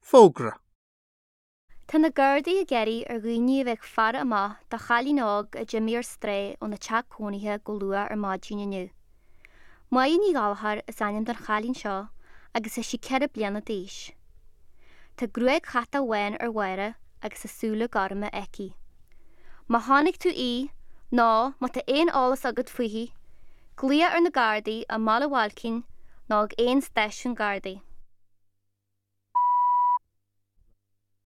Fógra. Tá na Gardaí ag iarraidh ar dhaoine a bheith ag faire amach do chailín óg a d'imigh ar strae óna teach cónaithe go luath ar maidin inniu. Máire Ní Ghallchóir is ainm don chailín seo agus tá sí 4 bliana d'aois. Tá gruaig chatach bhán ar Mháire agus tá súile gorma aici. Má chonaic tú í nó má tá aon eolas agat fúithi, glaoigh ar na Gardaí i mBaile Bhailcín nó ag aon stáisiún Gardaí.